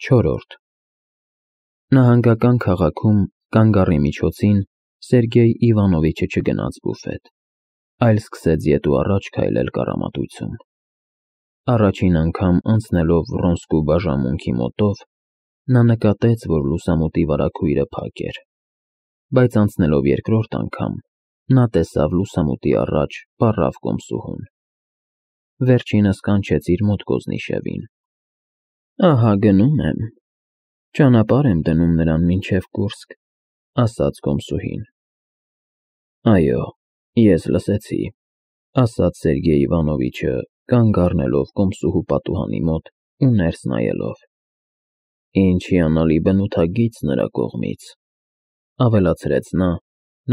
Չորրորդ Նահանգական քաղաքում կանգառի միջոցին Սերգեյ Իվանովիչը չգնաց բուֆետ, այլ սկսեց ետ ու առաջ քայլել կառամատույցում։ Առաջին անգամ անցնելով Վռոնսկու բաժանմունքի մոտով, նա նկատեց, որ լուսամուտի վարագույրը փակ էր, բայց անցնելով երկրորդ անգամ, նա տեսավ լուսամուտի առաջ պառավ կոմսուհուն։ Վերջինս կանչեց իր մոտ Կոզնիշևին։ «Ահա գնում եմ, ճանապարհ եմ դնում նրան մինչև Կուրսկ», ասաց կոմսուհին։ «Այո, ես լսեցի», ասաց Սերգեյ Իվանովիչը, կանգ առնելով կոմսուհու պատուհանի մոտ ու ներս նայելով։ «Ինչ հիանալի բնութագիծ նրա կողմից», ավելացրեց նա,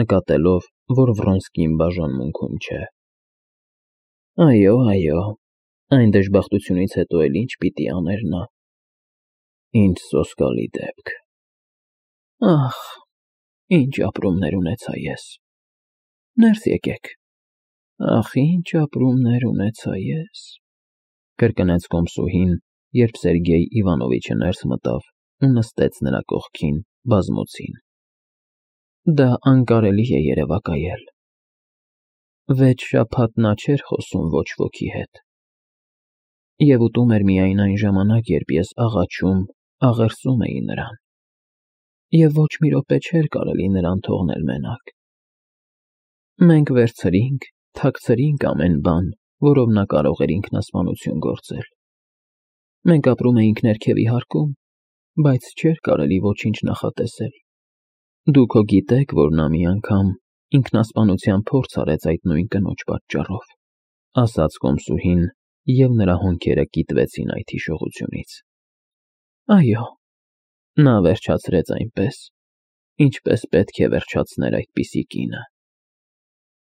նկատելով, որ Վռոնսկին բաժանմունքում չէ։ «Այո, այն դժբախտությունից հետո էլ ինչ պիտի աներ նա։ Ինչ սոսկալի դեպք։ Ահ, ինչ ապրումներ ունեցա ես։ Ներս եկեք։ Ահ, ինչ ապրումներ ունեցա ես», կրկնեց կոմսուհին, երբ Սերգեյ Իվանովիչը ներս մտավ ու նստեց նրա կողքին բազմոցին։ «Դա անկարելի է երևակայել։ 6 շաբաթ նա չէր խոսում ոչ ոքի հետ, և ուտում էր միայն այն ժամանակ, երբ ես աղաչում, աղերսում էի նրան, և ոչ մի րոպե չէր կարելի նրան թողնել մենակ։ Մենք վերցրինք, թաքցրինք ամեն բան, որով նա կարող էր ինքնասպանություն գործել։ Մենք ապրում էինք ներքևի հարկում, բայց չէր կարելի ոչինչ նախատեսել։ Դուք հո գիտեք, որ նա մի անգամ ինքնասպանության փորձ արեց այդ նույն կնոջ պատճառով», ասաց կոմսուհին, և նրա հոնքերը կիտվեցին այդ հիշողությունից։ «Այո», նա վերջացրեց այնպես, ինչպես պետք է վերջացներ այդպիսի կինը։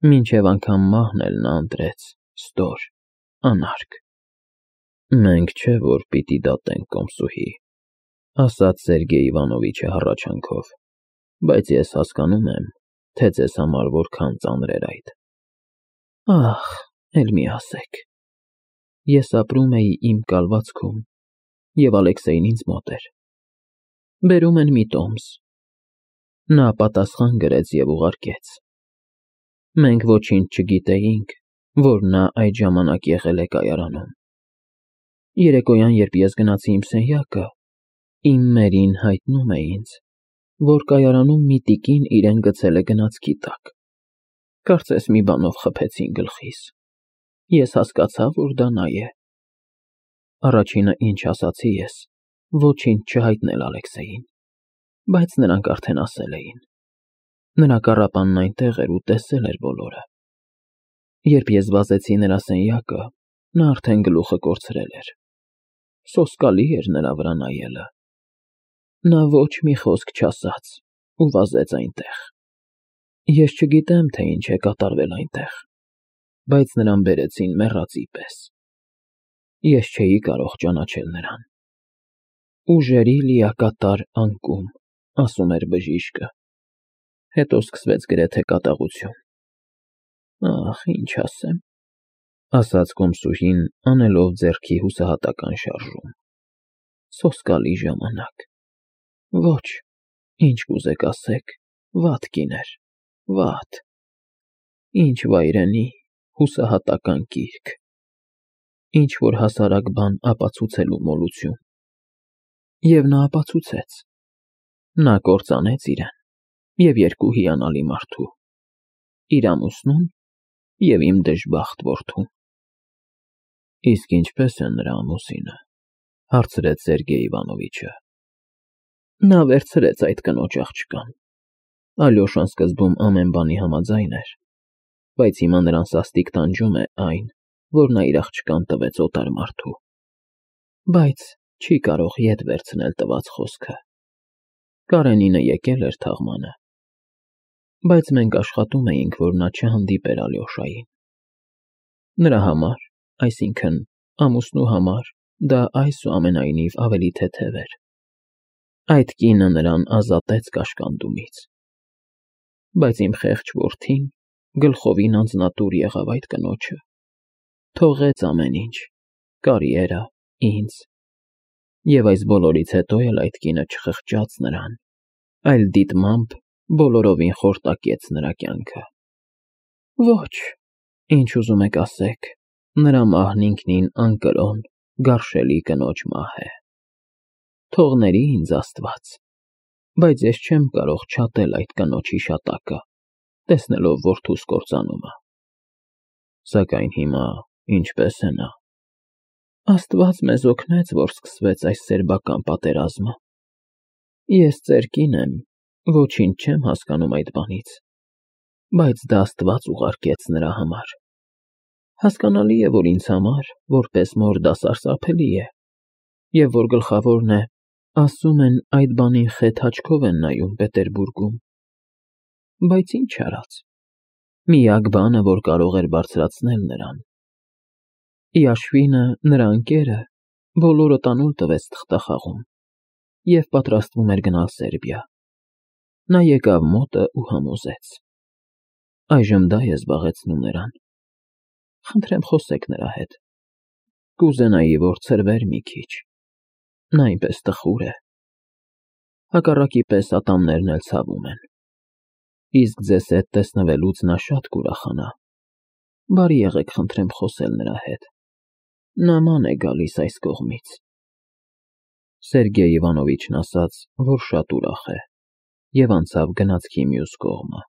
Մինչև անգամ մահն էլ նա ընտրեց ստոր, անարգ։ «Մենք չէ որ պիտի դատենք, կոմսուհի», ասաց Սերգեյ Իվանովիչը հառաչանքով, բայց ես հասկանում եմ, թե ձեզ համար որքան ծանր էր այդ։ Ահ, էլ մի ասեք։ Ես ապրում էի իմ կալվածքում, և Ալեքսեյն ինձ մոտ էր։ Բերում են մի տոմս։ Նա պատասխան գրեց և ուղարկեց։ Մենք ոչինչ չգիտեինք, որ նա այդ ժամանակ եղել է կայարանում։ Երեկոյան, երբ ես գնացի իմ սենյակը, իմ մերին հայտնում է ինձ, որ կայարանում մի տիկին իրեն գցել է գնացքի տակ։ Կարծես մի բանով խփեցին գլխիս։ Ես հասկացա, որ դա նա է։ Առաջինը, ինչ ասացի ես, ոչինչ չհայտնել Ալեքսեյին, բայց նրանք արդեն ասել էին։ Նրա կառապանն այնտեղ էր ու տեսել էր բոլորը։ Երբ ես վազեցի նրա սենյակը, նա արդեն գլուխը կորցրել էր։ Սոսկալի էր նրա վրա նայելը։ Նա ոչ մի խոսք չասաց ու վազեց այնտեղ։ Ես չգիտեմ, թե ինչ է կատարվել այնտեղ, բայց նրան բերեցին մեռածի պես։ Ես չէի կարող ճանաչել նրան։ Ուժերի լիակատար անկում, ասում էր բժիշկը։ Հետո սկսվեց գրեթե կատաղություն։ Ահ, ինչ ասեմ, ասաց կոմսուհին, անելով ձեռքի հուսահատական շարժում։ Սոսկալի ժամանակ։ Ոչ, ինչ կուզեք ասեք, վատ կին էր, վատ։ Ինչ վայրենի, հուսահատական կիրք։ Ինչ որ հասարակ բան ապացուցելու մոլություն։ Եվ նա ապացուցեց։ Նա կործանեց իրեն և երկու հիանալի մարդու՝ իր ամուսնուն և իմ դժբախտ որդուն։ Իսկ ինչպե՞ս է նրա ամուսինը, հարցրեց Սերգեյ Իվանովիչը։ Նա վերցրեց այդ կնոջ աղջկան։ Ալյոշան սկզբում ամեն բանի համաձայն էր, բայց հիմա նրան սաստիկ տանջում է այն, որ նա իր աղջկան տվեց օտար մարդու։ Բայց չի կարող ետ վերցնել տված խոսքը։ Կարենինը եկել էր թաղմանը, բայց մենք աշխատում էինք, որ նա չհանդիպեր Ալյոշային։ Նրա համար, այսինքն ամուսնու համար, դա այսուամենայնիվ ավելի թեթև էր։ Այդ կինը նրան ազատեց կաշկանդումից։ Բայց իմ խեղճ որդին գլխովին անձնատուր եղավ այդ կնոջը։ Թողեց ամեն ինչ, կարիերա, ինձ, Եվ այս բոլորից հետո էլ այդ կինը չխղճաց նրան, այլ դիտմամբ բոլորովին խորտակեց նրա կյանքը։ Ոչ, ինչ ուզում եք ասեք, նրա մահն ինքնին անկրոն, գարշելի կնոջ մահ է։ Թող ինձ Աստված, բայց ես չեմ կարող չատել այդ կնոջ հիշատակը, տեսնելով որդուս կործանումը։ Սակայն հիմա ինչպե՞ս է նա։ Աստված մեզ օգնեց, որ սկսվեց այս սերբական պատերազմը։ Ես ծեր կին եմ, ոչինչ չեմ հասկանում այդ բանից, բայց դա Աստված ուղարկեց նրա համար։ Հասկանալի է, որ ինձ համար, որպես մոր, դա սարսափելի է, և որ գլխավորն է, ասում են, այդ բանին խեթ աչքով են նայում Պետերբուրգում։ Բայց ինչ արած, միակ բանը, որ կարող էր բարձրացնել նրան։ Իաշվինը, նրա ընկերը, բոլորը տանուլ տվեց թղթախաղում և պատրաստվում էր գնալ Սերբիա։ Նա եկավ մոտը ու համոզեց։ Այժմ դա է զբաղեցնում նրան։ Խնդրեմ խոսեք նրա հետ։ Կուզենայի, որ ցրվեր մի քիչ։ Նա այնպես տխուր է։ Հակառակի պես ատամներն էլ ցավում են։ Իսկ ձեզ հետ տեսնվելուց նա շատ կուրախանա։ Բարի եղեք, խնդրեմ խոսել նրա հետ։ Նման է գալիս այս կողմից։ Սերգեյ Իվանովիչն ասաց, որ շատ ուրախ է, և անցավ գնացքի մյուս կողմը։